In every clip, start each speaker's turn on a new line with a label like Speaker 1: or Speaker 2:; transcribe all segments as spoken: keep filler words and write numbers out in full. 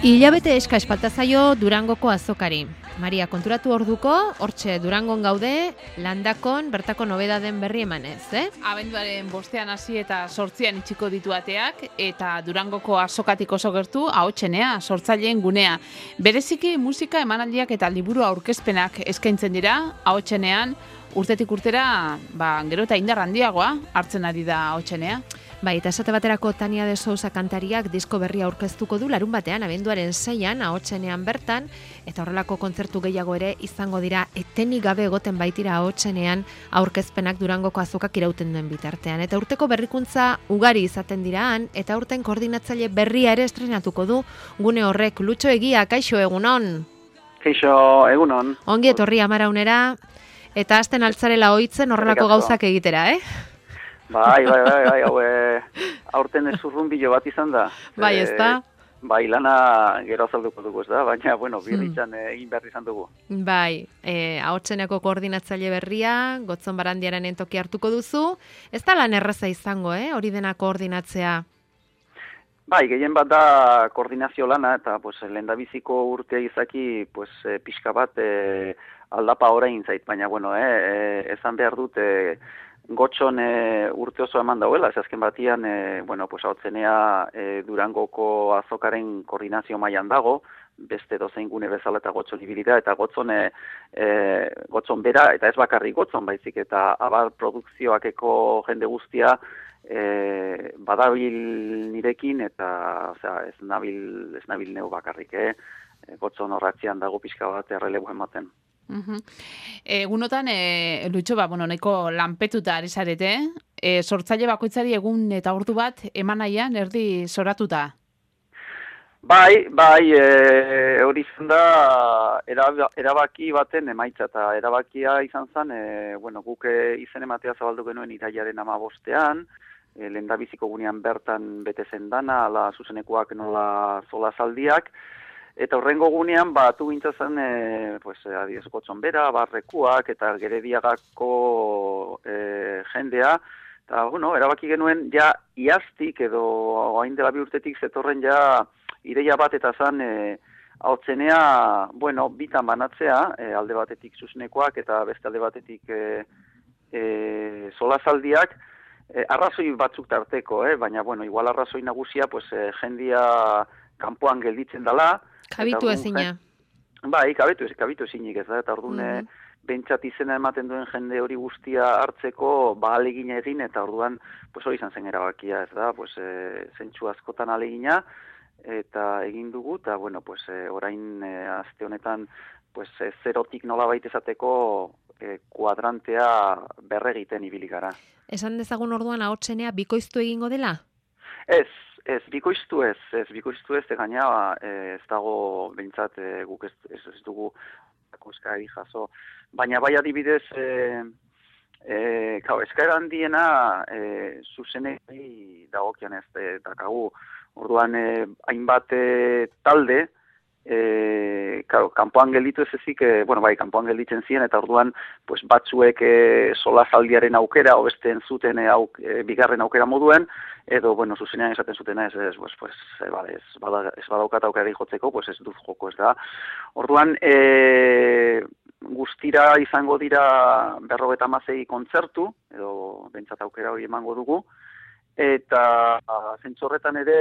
Speaker 1: Hilabete eska espalta zaio Durangoko azokari. Maria, konturatu orduko, hortxe Durangon gaude, landakon bertako nobedaden berri emanez, eh?
Speaker 2: Abenduaren bostean hasi eta sortzian itxiko ditu ateak, eta Durangoko azokatik oso gertu, ahotsenea, sortzaileen gunea. Bereziki musika emanaldiak eta liburu aurkezpenak eskaintzen dira, ahotsenean, urtetik urtera, ba, gero eta indar handiagoa hartzen ari da ahotsenea.
Speaker 1: Bai, eta esate baterako Tania de Sousa kantariak disko berria aurkeztuko du larun batean, abenduaren seian, ahotsenean bertan, eta horrelako kontzertu gehiago ere izango dira etenik gabe egoten baitira ahotsenean aurkezpenak Durangoko azokak irauten duen bitartean. Eta urteko berrikuntza ugari izaten diraan, eta urten koordinatzaile berria ere estrenatuko du gune horrek. Lutxo Egia, kaixo egunon?
Speaker 3: Kaixo egunon.
Speaker 1: Ongi etorri Amaraunera, eta hasten altzarela ohitzen horrelako gauzak egitera, eh?
Speaker 3: Bai, bai, bai, bai, hau, e, aurten ez urrunbilo bat izan da.
Speaker 1: Bai, ez da?
Speaker 3: E, bai, lana gero azalduko dugu, ez da, baina, bueno, birritzan hmm. egin behar izan dugu.
Speaker 1: Bai, e, ahotseneko koordinatzaile berria, Gotzon Barandiaren entoki hartuko duzu, ez da lan erraza izango, eh, hori dena koordinatzea?
Speaker 3: Bai, gehien bat da koordinazio lana, eta pues, lehendabiziko urtea izaki, pues, e, pixka bat e, aldapa orain zait, baina, bueno, eh, e, ezan behar dut, e, Gotxon e, urte oso eman dauela, ez azken batian, e, bueno, pues, hautzenea e, Durangoko azokaren koordinazio mailan dago, beste dozein gune bezala eta Gotxon ibilida, eta Gotzon, e, e, Gotzon bera, eta ez bakarrik Gotzon baizik, eta abar produkzioakeko jende guztia e, badabil nirekin, eta osea, ez nabil, ez nabil neu bakarrik, eh? Gotzon horratzean dago pixka bat errelebo ematen.
Speaker 2: Uh-huh. Egunotan, e, Lutxo, ba, bueno, nahiko lanpetuta ari zarete, e, sortzaile bakoitzari egun eta ordu bat eman nahian erdi zoratuta.
Speaker 3: Bai, bai, e, hori izan da erabaki baten emaitza, eta erabakia izan zen, e, bueno, guk izen ematea zabaldu genuen irailaren amabostean, e, lehendabiziko gunean bertan bete zen dana, ala zuzenekoak nola zola zaldiak, eta horrengo gunean, batu gintzen, e, pues, adiez, Gotzon bera, barrekuak, eta Gerediagako e, jendea, eta, bueno, erabaki genuen, ja, iaztik, edo, hain dela bi urtetik, zetorren ja, ideia bat, eta zan, e, hautzenea, bueno, bitan banatzea, e, alde batetik zuzenekoak, eta beste alde batetik e, e, solazaldiak, e, arrazoi batzuk tarteko, eh? Baina, bueno, igual arrazoi nagusia, pues, e, jendia kanpoan gelditzen dela,
Speaker 1: Kabitu ezina.
Speaker 3: Bai, kabitu, kabitu ezinik ez da, eta orduan
Speaker 1: mm-hmm.
Speaker 3: bentsat izena ematen duen jende hori guztia hartzeko, ba alegina egin, eta orduan, pues hori izan zen erabakia, ez da, pues e, zentsu askotan alegina, eta egin dugu, eta bueno, pues e, orain e, aste honetan, pues e, zerotik nolabait esateko e, kuadrantea berregiten ibili gara.
Speaker 1: Esan dezagun orduan ahotsenea bikoiztu egingo dela?
Speaker 3: Ez, Ez, bikoiztu ez, ez, bikoiztu ez, gaina ez dago behintzat e, guk ez, ez, ez dugu eskari jaso. Baina bai adibidez, e, e, kau, eskaera handiena e, zuzenei dagokian ez e, dakagu. Orduan, e, hainbat e, talde, e, kau, kanpoan gelditu ez ezik, e, bueno, bai, kanpoan gelditzen ziren, eta orduan, pues, batzuek e, solazaldiaren aukera, o beste entzuten e, auk, e, bigarren aukera moduen, edo, bueno, zuzenean esaten zutena, ez, ez, pues, pues, e, bale, ez, bada, ez badaukat aukera jotzeko, pues ez duz joko, ez da. Orduan, e, guztira izango dira berrogeta hamazazpi kontzertu, edo bentsat aukera hori emango dugu, eta zentzorretan ere,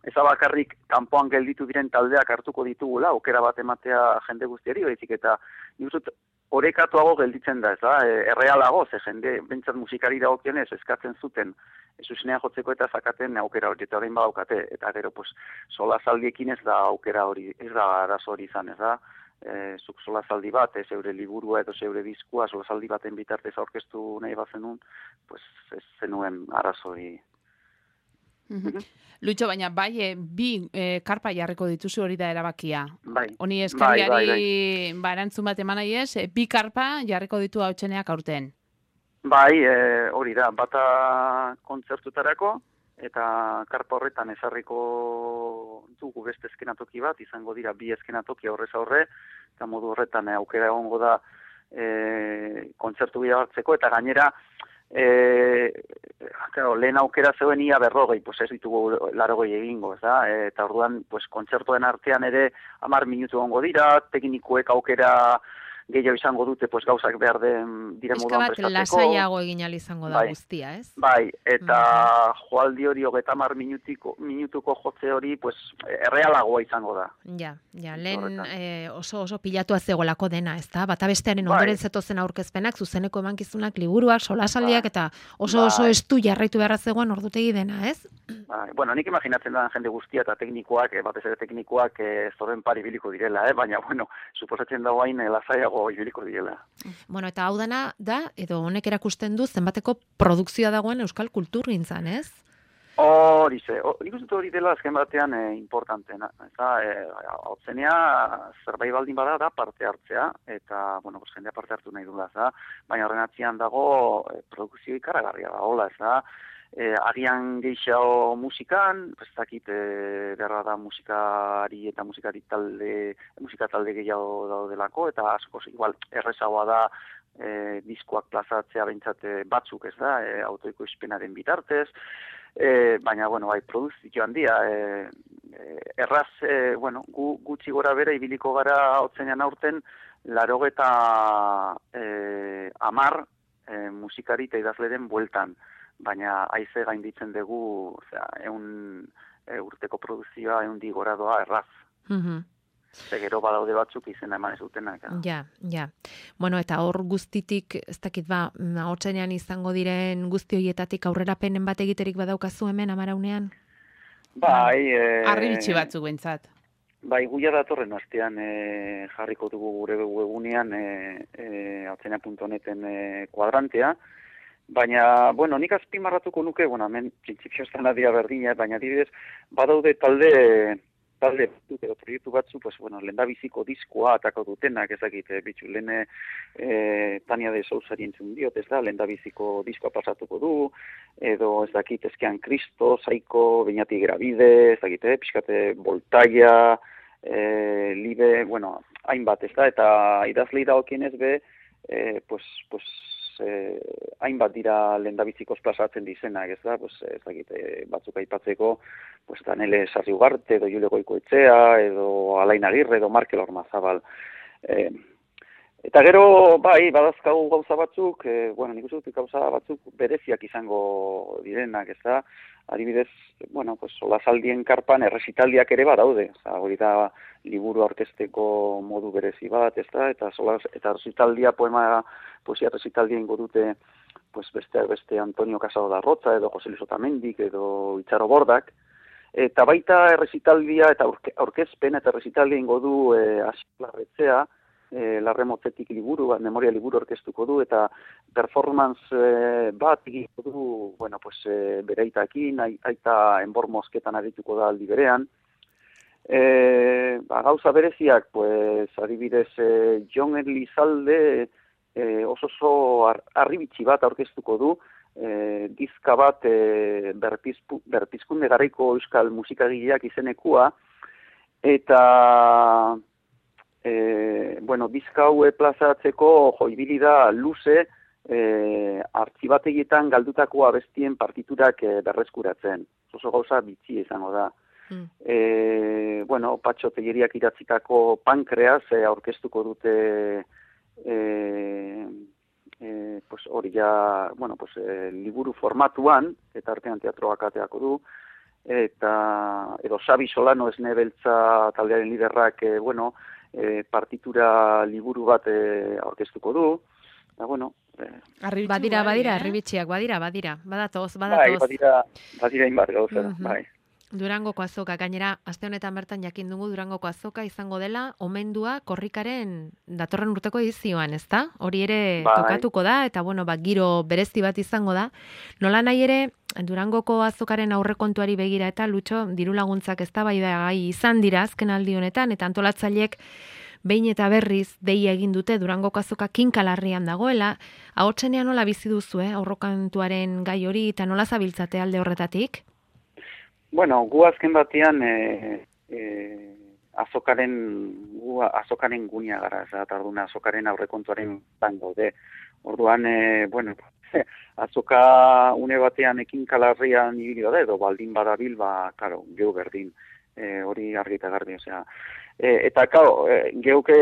Speaker 3: ez bakarrik kanpoan gelditu diren taldeak hartuko ditugula, aukera bat ematea jende guztiari, baizik eta nire orekatuago gelditzen da, ez da, e, errealago, ze jende, bentsat musikari dagokionez eskatzen zuten, zuzenean jotzeko eta zakaten aukera hori, eta orain badaukate, eta gero, pues, solazaldiekin ez da aukera hori, ez da arazo hori izan, ez da, e, zuk solazaldi bat, ez zeure liburua edo zeure diskua, solazaldi baten bitartez aurkeztu nahi bazenun, pues, ez zenuen arazo hori.
Speaker 2: Mm-hmm. Lutxo, baina bai, e, bi e, karpa jarriko dituzu hori da erabakia.
Speaker 3: Bai.
Speaker 2: Honi eskariari
Speaker 3: bai, bai, bai.
Speaker 2: ba, erantzun bat eman nahi ez, e, bi karpa jarriko ditu hautseneak aurten.
Speaker 3: Bai, e, hori da, bata kontzertutarako, eta karpa horretan ezarriko dugu beste eskenatoki bat, izango dira bi eskenatoki aurrez aurre, eta modu horretan e, aukera egongo da e, kontzertu bila hartzeko, eta gainera, E, claro, lehen aukera zeuen ia berrogei, pues ez ditugu larogei egingo, ez da? E, eta orduan, pues, kontzertuen artean ere hamar minutu ongo dira, teknikoek aukera gehiago izango dute, pues, gauzak behar den dire
Speaker 1: Pixka
Speaker 3: moduan
Speaker 1: bat
Speaker 3: prestatzeko.
Speaker 1: lasaiago egin ahal izango da
Speaker 3: Bai.
Speaker 1: guztia, ez?
Speaker 3: Bai, eta
Speaker 1: Mhm.
Speaker 3: joaldi hori hogeita hamar minutiko, minutuko jotze hori, pues, errealagoa izango da.
Speaker 1: Ja, ja,
Speaker 3: Zentzu
Speaker 1: lehen
Speaker 3: horretan.
Speaker 1: eh, oso oso pilatua zegoelako dena, ezta? Bata bestearen
Speaker 3: Bai.
Speaker 1: ondoren zetozen aurkezpenak, zuzeneko emankizunak, liburuak, solasaldiak
Speaker 3: Bai.
Speaker 1: eta oso oso
Speaker 3: Bai.
Speaker 1: estu jarraitu beharra zegoen ordutegi dena, ez?
Speaker 3: Bai, bueno, nik imaginatzen da jende guztia eta teknikoak, eh, batez ere teknikoak eh, zoren pari ibiliko direla, eh? Baina, bueno, suposatzen dago hain eh, lasaiago ibiliko direla.
Speaker 1: Bueno, eta hau dana da, edo honek erakusten du zenbateko produkzioa dagoen euskal kulturgintzan, ez?
Speaker 3: Hori ze, o- nik uste dut hori dela azken batean eh, importantena. Eta, eh, hau zenea, zerbait baldin bada da parte hartzea, eta, bueno, pues, jendea parte hartu nahi dula, ez da? Baina horren atzian dago eh, produkzio ikaragarria da, hola, ez da? Eh, agian gehiago musikan, ez dakit eh, beharra da musikari eta musikari talde, musika talde gehiago daudelako, eta asko igual errezagoa da eh, diskoak plazatzea behintzat eh, batzuk, ez da, eh, autoikoizpenaren bitartez, eh, baina, bueno, bai, produzio handia, eh, eh, erraz, eh, bueno, gu, gutxi gora bera ibiliko gara hotzenean aurten, larogeta eh, amar eh, musikari eta idazleren bueltan, baina haize gainditzen dugu, osea, eun e, urteko produzioa eun di gora doa erraz.
Speaker 1: Mhm.
Speaker 3: Ze gero badaude batzuk izena eman ez dutenak.
Speaker 1: Ja, ja. Bueno, eta hor guztitik, ez dakit ba, ahotsenean izango diren guzti hoietatik aurrerapenen bat egiterik badaukazu hemen Amaraunean?
Speaker 3: Bai, e,
Speaker 2: Arribitxi batzuk bentsat.
Speaker 3: Bai, guia datorren astean e, jarriko dugu gure webunean e, e, ahotsenea puntu neten e, kuadrantea, baina, bueno, nik azpimarratuko nuke, bueno, hemen printzipio estan adia berdina, baina adibidez, badaude talde talde batzuk edo proiektu batzu, pues, bueno, lehendabiziko diskoa atako dutenak, ezakit, e, bitxu, lehen e, Tania de Sousari entzun diot, ez da, lehendabiziko diskoa pasatuko du, edo ez dakit, ezkean Kristo, Zaiko, Beñati Gravide, ez dakit, eh, pixkate Voltaia, e, Libe, bueno, hainbat, ez da, eta idazlei dagokienez be, e, pues, pues, eh, hainbat dira lehendabizikoz plazatzen dizenak, ez da, pues, ez dakit, eh, batzuk aipatzeko, pues, Danele Sarri Ugarte, edo Jule Goikoetxea, edo Alain Agirre, edo Markel Ormazabal. Eh, eta gero, bai, badazkagu gauza batzuk, eh, bueno, nik uste dut gauza batzuk bereziak izango direnak, ez da, adibidez, bueno, pues, solasaldien karpan erresitaldiak ere badaude, oza, hori da liburu aurkezteko modu berezi bat, ez da, eta, solas, eta erresitaldia poema, poesia erresitaldia ingo dute, pues, beste, beste Antonio Casado da Rocha, edo Jose Luis Otamendik, edo Itxaro Bordak, eta baita erresitaldia, eta aurke, aurkezpen, eta erresitaldia ingo du e, Asilarretzea, e, Larremotzetik liburu, memoria liburu orkestuko du, eta performance e, bat egiko du, bueno, pues, e, bereitakin, aita enbor mosketan arituko da aldi berean. E, ba, gauza bereziak, pues, adibidez, e, Jon Elizalde e, oso oso ar, arribitxi bat aurkeztuko du, e, dizka bat e, berpizpu, berpizkunde garaiko euskal musikagileak izenekua, eta E, bueno, dizka hau plazatzeko joibili da luze e, artxibategietan galdutako abestien partiturak e, berreskuratzen. Oso gauza bitxi izango da. Mm. E, bueno, Patxo Telleriak idatzitako Pankreas e, aurkeztuko dute e, e, pues hori ja, bueno, pues, e, liburu formatuan, eta artean teatroak ateako du, eta edo Xabi Solano Esne Beltza taldearen liderrak, e, bueno, E, partitura liburu bat e, aurkeztuko du, eta bueno... E,
Speaker 1: badira, badira, arribitxiak, badira, badira, badatoz, badatoz.
Speaker 3: Bai, badira, badira inbat gauza, uh -huh. bai.
Speaker 1: Durangoko azoka, gainera, aste honetan bertan jakin dugu Durangoko azoka izango dela, omendua korrikaren datorren urteko edizioan, ezta? Hori ere bai. Tokatuko da, eta bueno, ba, giro berezti bat izango da. Nola nahi ere, Durangoko azokaren aurrekontuari begira eta Lutxo, diru laguntzak eztabaida gai izan dira azken aldi honetan, eta antolatzaileek behin eta berriz deia egin dute Durangoko azoka kinkalarrian dagoela. Ahotsenean nola bizi duzu, eh? Aurrekontuaren gai hori, eta nola zabiltzate alde horretatik?
Speaker 3: Bueno, gu azken batean e, e, azokaren, gu azokaren gunia gara, eta orduna azokaren aurrekontuaren ban gaude. Orduan, e, bueno, azoka une batean ekin kalarrian ibili bada, edo baldin badabil, ba, karo, geu berdin, e, hori argi eta garbi, osea. E, eta, karo, e, geuke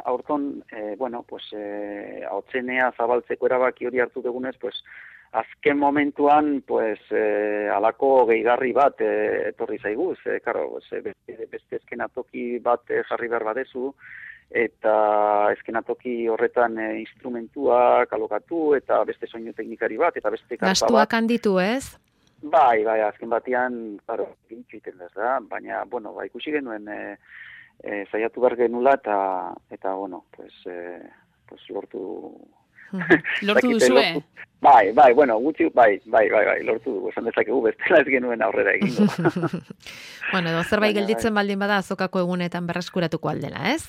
Speaker 3: aurton, e, bueno, pues, e, hautzenea zabaltzeko erabaki hori hartu dugunez, pues, azken momentuan, pues, e, alako gehigarri bat e, etorri zaiguz, e, karo, e, beste, beste eskenatoki bat e, jarri behar badezu, eta eskenatoki horretan e, instrumentuak alokatu, eta beste soinu teknikari bat, eta beste karta bat.
Speaker 1: Gastuak handitu, ez?
Speaker 3: Bai, bai, azken batean, claro, gintxu iten da, da, baina, bueno, ba, ikusi genuen e, e, zaiatu behar genula, eta, eta, bueno, pues, e, pues lortu...
Speaker 2: lortu duzue?
Speaker 3: Bai, bai, bueno, gutxi, bai, bai, bai, bai, lortu dugu, esan dezakegu bestela ez genuen aurrera egingo.
Speaker 1: Bueno, edo zerbait gelditzen baldin bada azokako egunetan berreskuratuko aldela, ez?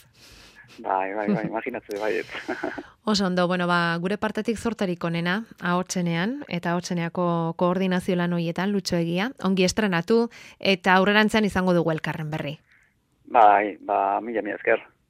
Speaker 3: Bai, bai, bai, imaginatze, bai.
Speaker 1: Oso ondo, bueno, ba, gure partetik zortarik onena, ahotsenean, eta ahotseneako koordinazio lan horietan, Lutxo Egia, ongi estrenatu, eta aurrerantzean izango dugu elkarren berri.
Speaker 3: Bai, ba, mila, mila esker.